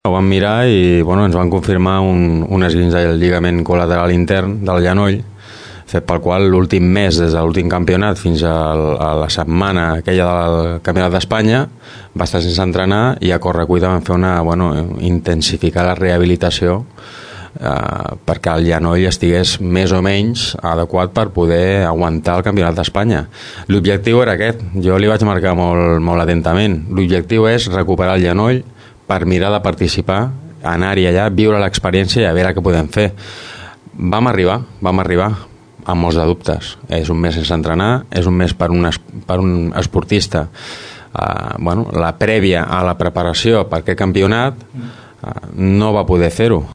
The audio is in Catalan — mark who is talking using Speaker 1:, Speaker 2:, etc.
Speaker 1: Ho vam mirar i ens van confirmar un esguinç del lligament col·lateral intern del genoll, fet pel qual l'últim mes, des de l'últim campionat fins a la setmana aquella del Campionat d'Espanya, va estar sense entrenar i a correcuita van fer intensificar la rehabilitació perquè el genoll estigués més o menys adequat per poder aguantar el Campionat d'Espanya. L'objectiu era aquest, jo li vaig marcar molt, molt atentament. L'objectiu és recuperar el genoll per mirar de participar, anar-hi allà, viure l'experiència i a veure què podem fer. Vam arribar amb molts de dubtes. És un mes sense entrenar, és un mes per un esportista. La prèvia a la preparació per aquest campionat no va poder fer-ho.